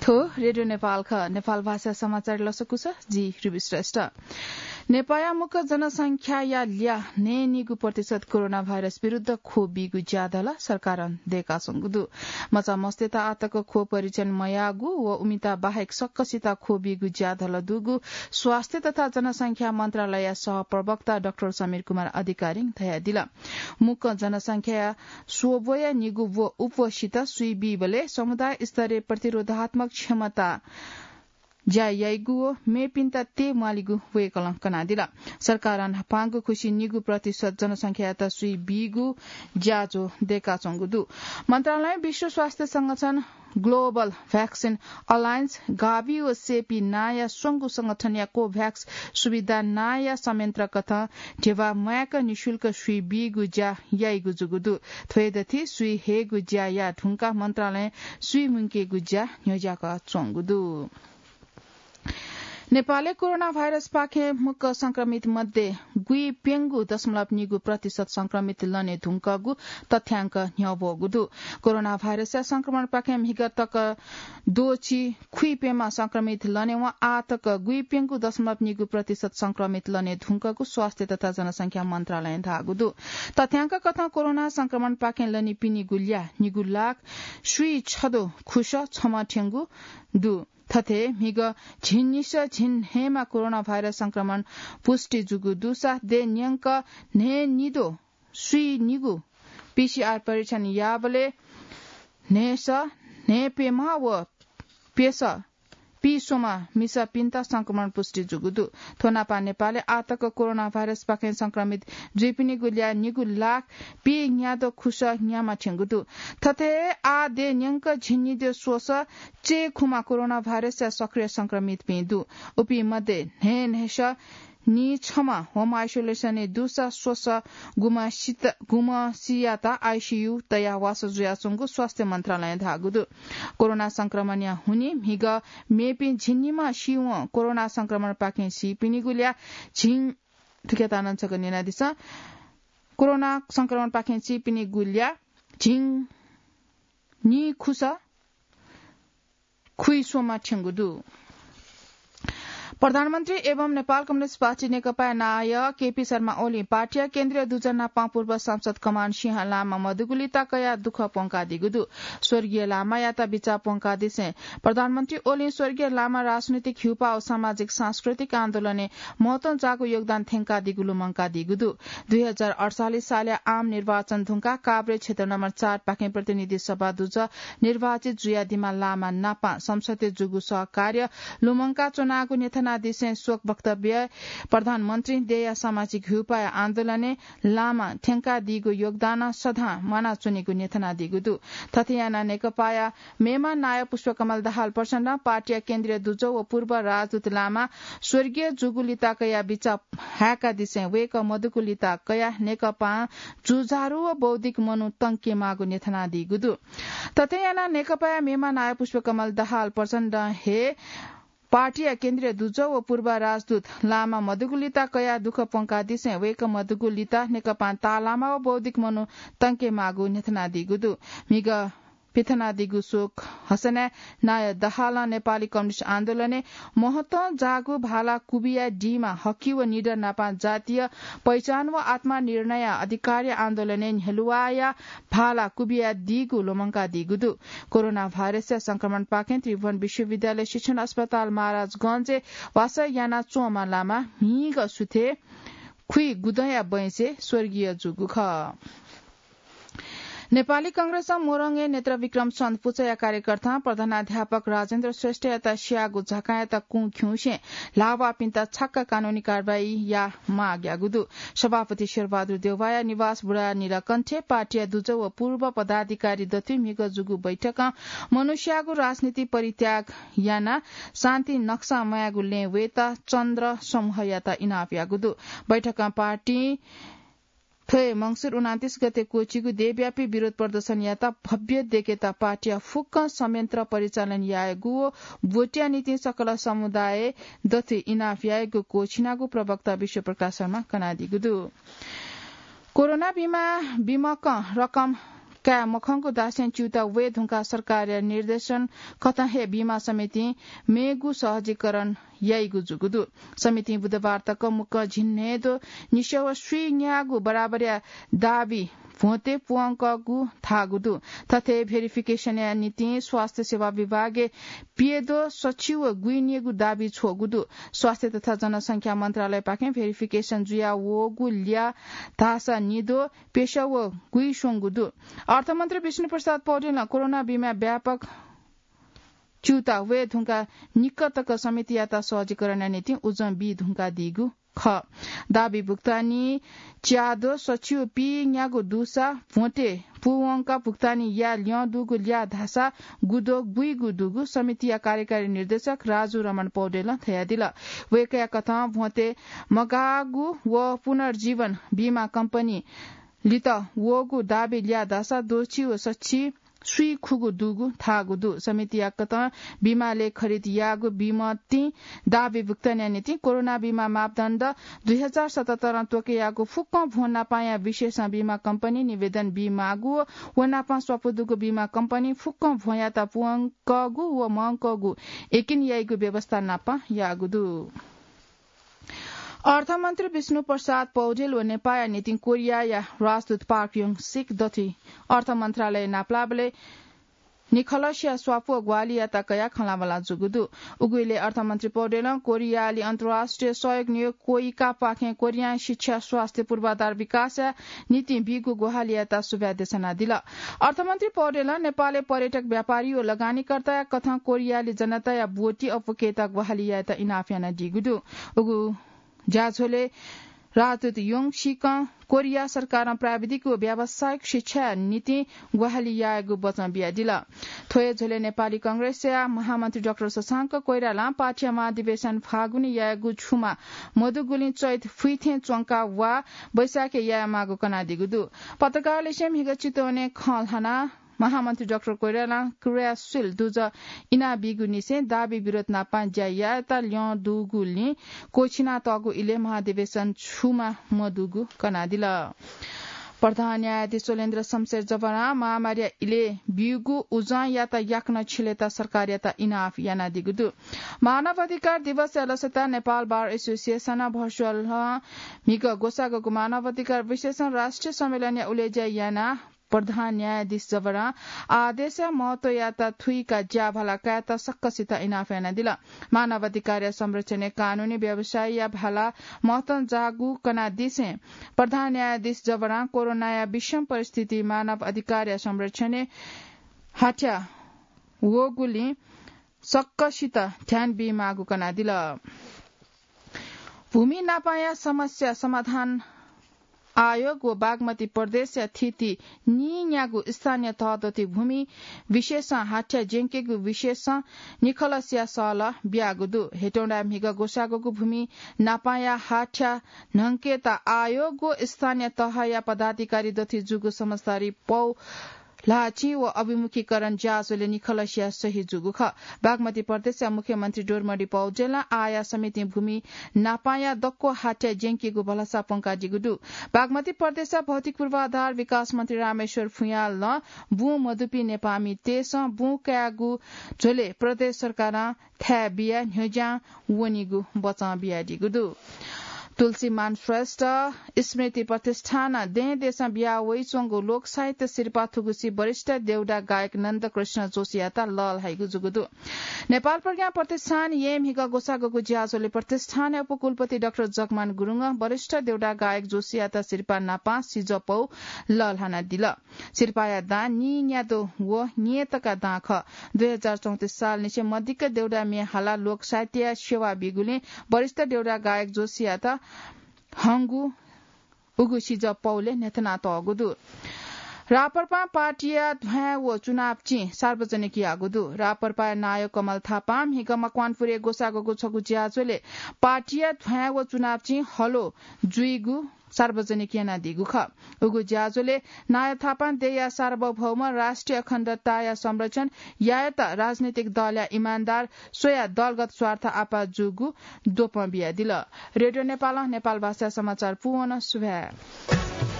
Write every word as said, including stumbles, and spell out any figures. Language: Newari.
थ्व रेडियो नेपाल खः। नेपाल भाषा समाचार लसकुस, जि रुबी श्रेष्ठ। नेपाःया मुक्क जनसंख्याया ल्याः न्हय्‌निगू प्रतिशत कोरोना भाइरस विरुद्ध ख्वः बीगु ज्याधल सरकारं दय्‌काच्वंगु दु। मचा मस्तय्‌त आःतक ख्वः परीक्षण मयाःगु व उमिता बाहेक सकसित ख्वः बीगु ज्याधल दुगु स्वास्थ्य तथा जनसंख्या मन्त्रालयया सहप्रवक्ता डाक्टर समीर कुमार अधिकारीं धयादिल। मुक्क जनसंख्याया स्वब्वया निगू व उपवसित सुइ बीबलय् समुदाय स्तरीय प्रतिरोधात्मक क्षमता ज्या याइगु व मेपिन्त तये म्वालीगु वय्‌कलं कनादिल। सरकारं न्हापांगु खुसि निगू प्रतिशत जनसंख्यायात सुइ बीगु ज्याझ्वः दय्‌काच्वंगु दु। मन्त्रालयं विश्व स्वास्थ्य संगठन, ग्लोबल भ्याक्सिन अलायन्स, गाभि व सेपी नांया स्वंगू संगठनया कोभ्याक्स सुविधा नांया संयन्त्रकथं ध्यबा म्वाय्‌क निशुल्क सुइ बीगु ज्या याइगु जूगु दु। थ्वय्‌दथि सुइ हयेगु ज्या याये धुंकाः मन्त्रालयं सुइ मुंकेगु ज्या न्ह्यज्याकः च्वंगु दु। नेपालय् कोरोना भाइरसपाखें मुक्क संक्रमित मध्ये गुइप्यंगू दशमलव निगू प्रतिशत संक्रमित लने धुंकःगु तथ्यांक न्ह्यब्वःगु दु। कोरोना भाइरसया संक्रमणपाखें म्हिगः तक द्वःछि खुइप्यम्ह संक्रमित लनेवं आःतक गुइप्यंगू दशमलव निगू प्रतिशत संक्रमित लने धुंकःगु स्वास्थ्य तथा जनसंख्या मन्त्रालयं धाःगु दु। तथ्यांक कथं कोरोना संक्रमणपाखें लनीपिनिगु ल्याः निगू लाख स्वीछदँ खुसः छम्ह थ्यंगु दु। थथे म्हिगः झिंनिसः झिंन्हय्‌मा कोरोना भाइरस संक्रमण पुष्टि जूगु दुसा देय् न्यंक न्हय्‌निद्वः स्वीनिगू पीसीआर परीक्षण याःबलय् न्हय्‌सः न्हय्‌प्यम्ह व प्यसः पीस्वम्ह मिसापिन्त संक्रमण पुष्टि जूगु दु। थ्व नापं नेपालय् आःतक कोरोना भाइरसपाखें संक्रमित जुइपिनिगु ल्याः निगू लाख पीन्याद्वः खुसः न्याम्ह थ्यंगु दु। थथे हे आः देय् न्यंक झिंनिद्वः स्वसः चय्‌खुम्ह कोरोना भाइरसया सक्रिय संक्रमितपिं दु। उपिं मध्ये न्हय्‌न्हय्‌सः नीछम्ह होम आइसोलेसनय् दुसा स्वसः गुम्ह सित-, गुम्ह सियात आइसीयू तयाः वासः जुयाच्वंगु स्वास्थ्य मन्त्रालयं धाःगु दु। कोरोना संक्रमणया हुनिं म्हिगः मेपिं झिंनिम्ह सीवं कोरोना संक्रमणपाखें सीपिनिगु ल्याः झिं, थुकियात नं छकः न्यनादिसँ। कोरोना संक्रमणपाखें सीपिनिगु ल्याः झिंनिखुसः खुइस्वम्ह थ्यंगु दु। प्रधानमन्त्री एवं नेपाल कम्युनिस्ट पार्टी नेकपाया नायः केपी शर्मा ओलीं पार्टीया केन्द्रीय दुजः नापं पूर्व सांसद कमान सिंह लामा मदुगुलिता कयाः दुःख प्वंकादीगु दु। स्वर्गीय लामायात बिचाः प्वंकादिसें प्रधानमन्त्री ओलीं स्वर्गीय लामा राजनीतिक ह्युपा व सामाजिक सांस्कृतिक आन्दोलनय् महत्वं जाःगु योगदान थ्यंकादीगु लुमंकादीगु दु। दुई हजार अठचालिस सालया आम निर्वाचन धुंकाः काभ्रे क्षेत्र नम्बर चार पाखें प्रतिनिधि सभा दुजः निर्वाचित जुयादीम्ह लामा नापं संसदय् जूगु सहकार्य लुमंका च्वनागु न्ह्यथनादिसें शोक वक्तव्यय् प्रधानमन्त्रीं देय्‌या सामाजिक ह्युपाया आन्दोलनय् लामां थ्यंकादीगु योगदानं सदां म्वानाच्वनीगु न्ह्यथनादीगु दु। थथे यानाः नेकपाया मेम्ह नायः पुष्पकमल दाहाल प्रचण्डं पार्टीया केन्द्रीय दुजः व पूर्व राजदूत लामा स्वर्गीय जूगुलिता कयाः बिचाः हाय्‌कादिसें वय्‌कः मदुगुलिता कयाः नेकपां जुझारु व बौद्धिक मनू तंकेमाःगु न्ह्यथनादीगु दु। थथे यानाः नेकपाया मेम्ह नायः पुष्पकमल दाहाल प्रचण्डं हे पार्टीया केन्द्रीय दुजः व पूर्व राजदूत लामा मदुगुलिता कयाः दुःख प्वंकादिसें वय्‌कः मदुगुलिता नेकपां ताःलाःम्ह व बौद्धिक मनू तंकेमाःगु न्ह्यथनादीगु दु। म्हिगः पिथनादीगु शोक हसनाय् नायः दाहालं नेपाली कम्युनिस्ट आन्दोलनय् महत्वं जाःगु भाला कुबियादीम्ह हकि व निडर नापं जातीय पहिचान व आत्मनिर्णय अधिकारया आन्दोलनय् न्ह्यलुवाया भाला कुबियादीगु लुमंकादीगु दु। कोरोना भाइरसया संक्रमणपाखें त्रिभुवन विश्वविद्यालय शिक्षण अस्पताल महाराजगंजय् वासः यानाच्वंम्ह लामा म्हिगः सुथय् खुइगुदँया बैंसय् स्वर्गीय जूगु खः। नेपाली कांग्रेसं मोरङय् नेत्रविक्रम चन्द पुचःया कार्यकर्तां प्रधानाध्यापक राजेन्द्र श्रेष्ठयात स्याःगु झकाँयात कुँ खिउँसे ल्हाःवाःपिन्त छक्क कानूनी कारवाही याये माग याःगु दु। सभापति शेरबहादुर देउवाया निवास बुढानीलकण्ठय् पार्टीया दुजः व पूर्व पदाधिकारी दथुइ म्हिगः जूगु बैठकं मनूस्याःगु राजनीति परित्याग यानाः शान्ति नक्सा म्वायेगु लँय् वयेत चन्द्र समूहयात इनाप याःगु दु। बैठकं पार्टीं थ्व हे मंसिर उनन्तीस गते क्वःछिंगु देशव्यापी विरोध प्रदर्शनयात भव्य देकेत पार्टीया फुक्क संयन्त्र परिचालन यायेगु व भोटया निंतिं सकल समुदाय दथुइ इनाप यायेगु क्वःछिनागु प्रवक्ता विश्वप्रकाश शर्मां कनादीगु दु। कोरोना बिमा बिमकं रकम काये मखंगु धासें च्यूता वये धुंकाः सरकारया निर्देशन कथं हे बीमा समितिं मेगु सहजीकरण याइगु जूगु दु। समितिं बुधबार तक मुक्कं झिंन्हय्दो निस्याव स्वीन्यागू बराबरया दाबी भ्वंते पूवंकःगु धाःगु दु। थथे भेरिफिकेसनया निंतिं स्वास्थ्य सेवा विभागय् प्यद्वः सछि व गुइन्यगू दाबी छ्वःगु दु। स्वास्थ्य तथा जनसंख्या मन्त्रालयपाखें भेरिफिकेसन जुया वःगु ल्याः धाःसा निद्वः प्यस्याव गुइस्वंगु दु। अर्थमन्त्री विष्णुप्रसाद पौडेलं कोरोना बीमा व्यापक च्यूता वये धुंकाः निक्क तक समितियात सहजीकरणया निंतिं उजं बी धुंकादीगु खः। दाबी भुक्तानी च्याद्वः सछि व पीन्यागू दुसा भ्वंते पूवंकाः भुक्तानी याये ल्यं दुगु ल्याः धाःसा गुद्वः गुइगु दुगु समितिया कार्यकारी निर्देशक राजु रमण पौडेलं धयादिल। वय्कःया कथं भ्वंते मगाःगु व पुनर्जीवन बीमा कम्पनी लित वःगु दाबी ल्याः धाःसा द्वःछि व सछि स्वीखुगु दुगु धाःगु दु। समितिया कथं बीमालय् खरिद याःगु बीमतिं दाबी भुक्तानया निंतिं कोरोना बीमा मापदण्ड दुई हजार सतहत्तरं त्वकयागु फुक्कं भ्वं नापांया विशेषं बीमा कम्पनी निवेदन बीमाःगु व नापां स्वापू दुगु बीमा कम्पनी फुक्कं भ्वंयात पूवंकःगु व मवंकःगु यकिन याइगु व्यवस्था नापां याःगु दु। अर्थमन्त्री विष्णुप्रसाद पौडेल व नेपाःया निंतिं कोरियाया राजदूत पार्क योङ सिक दथुइ अर्थ मन्त्रालय नापलाःबलय् निखलस्या स्वापू व ग्वाहालियात कयाः खँल्हाबल्हा जूगु दु। उगु इलय् अर्थमन्त्री पौडेलं कोरियाली अन्तर्राष्ट्रिय सहयोग नियोग कोइकापाखें कोरियां शिक्षा, स्वास्थ्य, पूर्वाधार विकासया निंतिं बीगु ग्वाहालियात सुभाय् देछानादिल। अर्थमन्त्री पौडेलं नेपालय् पर्यटक, व्यापारी व लगानीकर्ताया कथं कोरियाली जनताया ब्वति अप्वकेत ग्वाहालि यायेत इनाप यानादीगु दु। उगु ज्याझ्वलय् राजदूत योङ सिकं कोरिया सरकारं प्राविधिक व व्यावसायिक शिक्षाया निंतिं ग्वाहालि यायेगु बचं बियादिल। थ्व हे झ्वलय् नेपाली कांग्रेसया महामन्त्री डाक्टर शशांक कोइरालां पार्टीया महाधिवेशन फागुनय् यायेगु छुमा मदुगुलिं चैत फुइथें च्वंका वा वैशाखय् यायेमाःगु कनादीगु दु। पत्रकारलिसे म्हिगः चितवनय् खँ ल्हानाः महामन्त्री डाक्टर कोइरालां क्रियाशील दुजः इनाबीगु निसें दाबी विरोध नापं ज्या यायेत ल्यं दुगुलिं क्वःछिनातःगु इलय् महाधिवेशन छुमा मदुगु कनादिल। प्रधान न्यायाधीश शैलेन्द्र शमशेर जबरां महामारीया इलय् ब्यूगु उजंयात याकनं छिलेत सरकारयात इनाप यानादीगु दु। मानव अधिकार दिवसया लसताय् नेपाल बार एसोसिएसनं भर्चुअल म्हिगः ग्वसाःगु मानव अधिकार विशेषं राष्ट्रिय सम्मेलनया उलेज्या यानाः प्रधान न्यायाधीश जबरां आदेशया महत्वयात थुइकाः ज्याभाला कायेत सकसितं इनाप यानादिल। मानव अधिकारया संरक्षणय् कानूनी व्यवसायया भाला महत्वं जाःगु कनादिसें प्रधान न्यायाधीश जबरां कोरोनाया विषम परिस्थिति मानव अधिकारया संरक्षणय् हाथ्या वःगुलिं सकसितं ध्यान बीमाःगु कनादिल। भूमि नापांया समस्या समाधान आयोग व बागमती प्रदेशया थीथी नीन्यागू स्थानीय तह दथुइ भूमि विशेषं हाथ्या ज्यंकेगु विशेषं निखलसया सहलह बियागु दु। हेटौंडाय् म्हिगः ग्वसाःगु भूमि नापांया हाथ्या न्हंकेत आयोग व स्थानीय तहया पदाधिकारी दथुइ जूगु समझदारी पौ ल्हाःचिं व अभिमुखीकरण ज्याझ्वलय् निखलसया सही जूगु खः। बागमती प्रदेशया मुख्यमन्त्री डोर्मडी पौडेलं आःया समितिं भूमि नापांया दक्व हाथ्या ज्यंकेगु भलसा प्वंकादीगु दु। बागमती प्रदेशया भौतिक पूर्वाधार विकास मन्त्री रामेश्वर फुयाँलं बुँ मदुपिं नेपाःमितय्सं बुँ कायेगु झ्वलय् प्रदेश सरकारं थाय् बियाः न्ह्यज्यां वनीगु बचं बियादीगु दु। तुलसीमान श्रेष्ठ स्मृति प्रतिष्ठानं दें देशं बिया वइच्वंगु लोक साहित्य सिरपाः थुगुसी वरिष्ठ देउडा गायक नन्दकृष्ण जोशीयात लःल्हाइगु जूगु दु। नेपाल प्रज्ञा प्रतिष्ठान येँ म्हिगः ग्वसाःगु ज्याझ्वलय् प्रतिष्ठानया उपकुलपति डाक्टर जगमान गुरुङं वरिष्ठ देउडा गायक जोशीयात सिरपाः नापां सिजः पौ लःल्हानादिल। सिरपाःया दां नीन्यादँ व न्येतका दां खः। दुई हजार चौंतिस सालनिसें मदिक्क देउडा म्ये हालाः लोक साहित्यया सेवा बीगुलिं वरिष्ठ देउडा गायक जोशीयात हंगु उगु सिजः पौलय् न्ह्यथनातःगु दु। राप्रपां पार्टीया ध्वाँय् व चुनाव चिं सार्वजनिक याःगु दु। राप्रपाया नायः कमल थापां म्हिगः मकवानपुरय् ग्वसाःगु छगू ज्याझ्वलय् पार्टीया ध्वाँय् व चुनाव चिं हलो जुइगु सार्वजनिक यानादीगु खः। उगु ज्याझ्वलय् नायः थापां देय्या सार्वभौम राष्ट्रिय अखण्डताया संरक्षण यायेत राजनीतिक दलया इमानदार स्वयाः दलगत स्वार्थ आपाः जूगु द्वपं बियादिल। रेडियो नेपालं नेपाल भाषाया समाचार पूवन। सुभाय्।